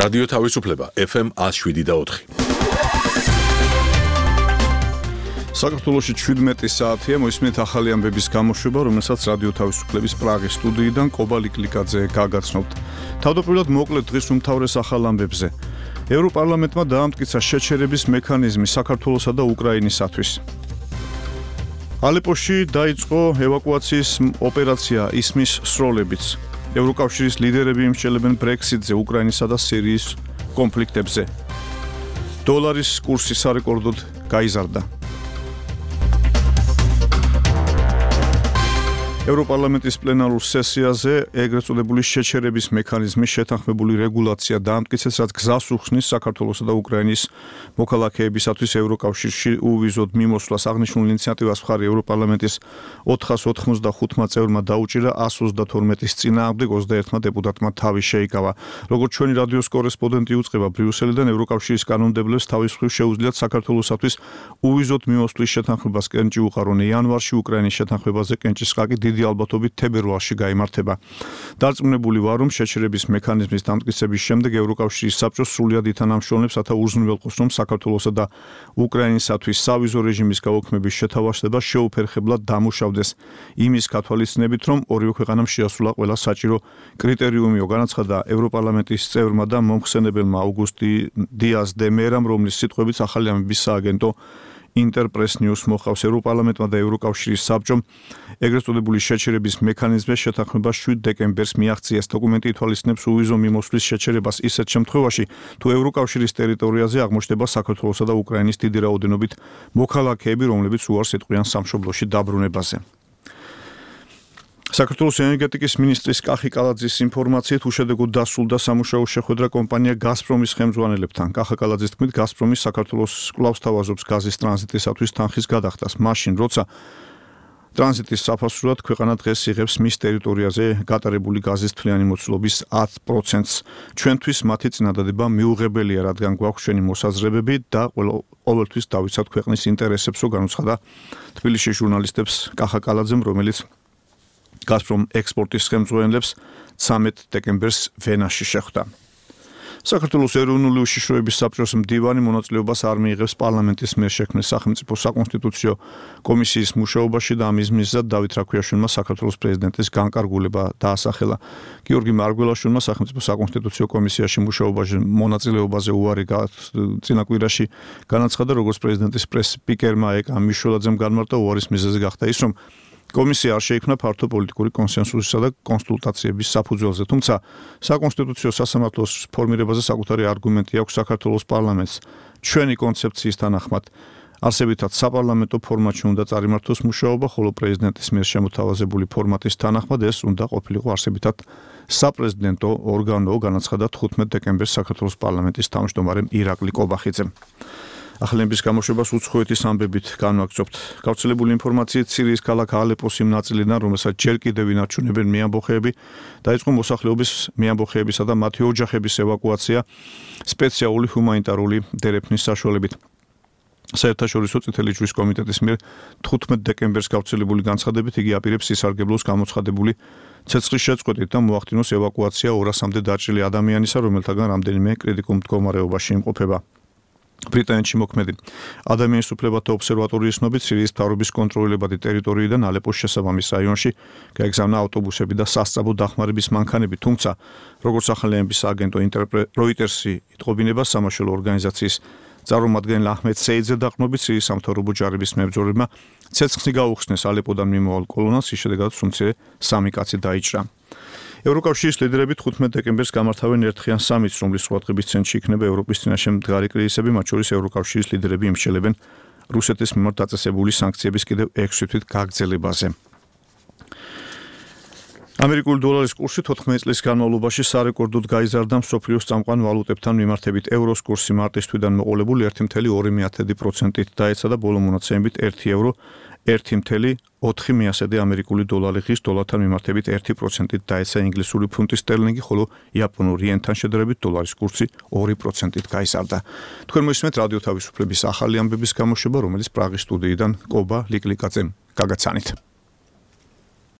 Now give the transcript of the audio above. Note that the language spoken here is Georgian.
რადიო თავისუფლება FM 107.4. საქართველოში 17 საათია მოისმენთ ახალი ამბების გამოშვება, რომელსაც რადიო თავისუფლების პრაღის სტუდიიდან კობა ლიკლიკაძე გაგაცნობთ. თავდაპირველად მოკლედ დღის უმთავრეს ახალ ამბებზე. ევროპარლამენტმა დაამტკიცა შეჩერების მექანიზმი საქართველოსა და უკრაინისათვის. ალეპოში დაიწყო ევაკუაციის ოპერაცია ისმის სროლებიც. ევროკავშირის ლიდერები იმსჯელებენ ბრექსიტზე, უკრაინისა და სირიის კონფლიქტებზე. დოლარის კურსი სარეკორდოდ გაიზარდა. ევროპარლამენტის პლენარულ სესიაზე ეგრეთ წოდებული შეჩერების მექანიზმის შეთანხმებული რეგულაცია დაამტკიცეს, რაც გზას უხსნის საქართველოსა და უკრაინის მოქალაქეებისათვის ევროკავშირში უვიზოდ მიმოსვლას. აღნიშნულ ინიციატივას მხარი ევროპარლამენტის 485 წევრმა დაუჭირა 132-ის წინააღმდეგ 21-მა დეპუტატმა თავი შეიკავა. როგორც ჩვენი რადიოს კორესპონდენტი უწყება ბრიუსელიდან, ევროკავშირის კანონმდებლებს თავის მხრივ შეუძლიათ საქართველოსათვის უვიზოდ მიმოსვლის შეთანხმებას კენჭი უყარონ. იანვარში უკრაინის შეთანხმებაზე კენჭის ხაკი დიდი ალბათობით თებერვალში გაიმართება. დარწმუნებული ვარ, რომ შეჩერების მექანიზმის დამტკიცების შემდეგ ევროკავშირის საბჭო სრულად ითანამშრომლებს, რათა უზრუნველყოს, რომ საქართველოსა და უკრაინისათვის სავიზო რეჟიმის გაუქმების შეთავაზება შეუფერხებლად დამუშავდეს. იმის გათვალისწინებით, რომ ორივე ქვეყანამ შეასრულა ყველა საჭირო კრიტერიუმი, განაცხადა ევროპარლამენტის წევრმა და მომხსენებელმა აუგუსტი დიას დე მერამ, რომლის სიტყვებით ახალი ამბების სააგენტო ინტერპრეს ნიუს მოხავს. ევროპარლამენტმა და ევროკავშირის საბჭომ ეგრეთ წოდებული შეჩერების მექანიზმის შეთანხმება 7 დეკემბერს მიაღწიეს. დოკუმენტი ითვალისწინებს უვიზო მიმოსვლის შეჩერებას ისეთ შემთხვევაში, თუ ევროკავშირის ტერიტორიაზე აღმოჩნდება საქართველოსა და უკრაინის დიდი რაოდენობით მოქალაქეები, რომლებიც უარს ეტყვიან სამშობლოში დაბრუნებაზე. საქართველოს ენერგეტიკის მინისტრის კახი კალაძის ინფორმაციით უშედეგოდ დასრულდა სამუშაო შეხვედრა კომპანია გაზპრომის ხელმძღვანელებთან. კახა კალაძის თქმით, გაზპრომი საქართველოს კვლავ სთავაზობს გაზის ტრანზიტისათვის თანხის გადახდას. მაშინ, როცა ტრანზიტის საფასურად ქვეყანა დღეს იღებს მის ტერიტორიაზე გატარებული გაზის თვლიანი მოცულობის 10%-ს. ჩვენთვის მათი წინადადება მიუღებელია, რადგან გვაქვს ჩვენი მოსაზრებები და ყოველთვის დავიცავთ ქვეყნის ინტერესებს, განუცხადა თბილისში ჟურნალისტებს კახა კალაძემ, რომელიც გაზპრომ ექსპორტის ხელმძღვანელებს 13 დეკემბერს ვენაში შეხვდა. საქართველოს ეროვნული უშიშროების საბჭოს მდივანი მონაწილეობას არ მიიღებს პარლამენტის მიერ შექმნილ სახელმწიფო საკონსტიტუციო კომისიის მუშაობაში და ამის მიზეზად დავით რაქვიაშვილმა საქართველოს პრეზიდენტის განკარგულება დაასახელა. გიორგი მარგველაშვილმა სახელმწიფო საკონსტიტუციო კომისიაში მუშაობაში მონაწილეობაზე უარი წინა კვირაში განაცხადა, როგორც პრეზიდენტის პრეს-სპიკერმა ეკა მიშველაძემ განმარტა, უარის მიზეზი გახდა ის, რომ კომისია არ შეიქმნა ფართო პოლიტიკური კონსენსუსისა და კონსულტაციების საფუძველზე, თუმცა საკონსტიტუციო სასამართლოს ფორმირებაზე საკუთარი არგუმენტი აქვს საქართველოს პარლამენტს. ჩვენი კონცეფციის თანახმად არსებითად საპარლამენტო ფორმატში უნდა წარიმართოს მუშაობა, ხოლო პრეზიდენტის მიერ შემოთავაზებული ფორმატის თანახმად ეს უნდა ყოფილიყო არსებითად საპრეზიდენტო ორგანო, განაცხადა 15 დეკემბერს საქართველოს პარლამენტის თავმჯდომარემ ირაკლი კობახიძემ. ახალების გამოშვებას უცხოეთის ამბებით განვაგრძობთ. გავრცელებული ინფორმაციით სირიის ქალაქ ალეპოს იმ ნაწილიდან, რომელსაც ჯერ კიდევ ინარჩუნებენ მეამბოხეები, დაიწყო მოსახლეობის მეამბოხეებისა და მათი ოჯახების ევაკუაცია სპეციალური ჰუმანიტარული დერეფნის საშუალებით. საერთაშორისო წითელი ჯვრის კომიტეტის მიერ 15 დეკემბერს გავრცელებული განცხადებით იგი აპირებს ისარგებლოს გამოცხადებული ცეცხლის შეწყვეტით და მოახდინოს ევაკუაცია 200-მდე დაჭრილი ადამიანისა, რომელთაგან რამდენიმე კრიტიკულ მდგომარეობაში იმყოფება. ბრიტანეთში მოქმედი ადამიანის უფლებათა ობსერვატორიის ცნობით, სირიის მთავრობის კონტროლებადი ტერიტორიიდან ალეპოს შესაბამის რაიონში გაეგზავნა ავტობუსები და სასწრაფო დახმარების მანქანები, თუმცა როგორც ახალი ამბების აგენტო როიტერსი იტყობინება, სამაშველო ორგანიზაციის წარმომადგენელ აჰმედ სეიძე დაყრდნობით სირიის სამთავრობო ჯარების მებრძოლებმა ცეცხლი გაუხსნეს ალეპოდან მიმავალ კოლონას, ის შედეგად უმცირე 3 კაცი დაიჭრა. ევროკავშირის ლიდერები 15 დეკემბერს გამართავენ ერთხიან სამიტს, რომლის ყურადღების ცენტრში იქნება ევროპის წინაშე მდგარი კრიზისები, მათ შორის ევროკავშირის ლიდერები იმსჯელებენ რუსეთის მიმართ დაწესებული სანქციების კიდევ 6 თვით გაგრძელებაზე. ამერიკული დოლარის კურსი 14 წლის განმავლობაში სარეკორდოდ გაიზარდა მსოფლიოს წამყვან ვალუტებთან მიმართებით. ევროს კურსი მარტის თვიდან მოყოლებული 1.2%-ით დაეცა და ბოლო მონაცემებით 1 ევრო 1.4 ამერიკული დოლარი ღირს დოლართან მიმართებით 1%-ით დაეცა ინგლისური ფუნტი სტერლინგი, ხოლო იაპონური იენთან შედარებით დოლარის კურსი 2%-ით გაიზარდა. თქვენ მოისმენთ რადიო თავისუფლების ახალი ამბების გამოშვება, რომელიც პრაღის სტუდიიდან კობა ლიკლიკაძემ გაგაცანით.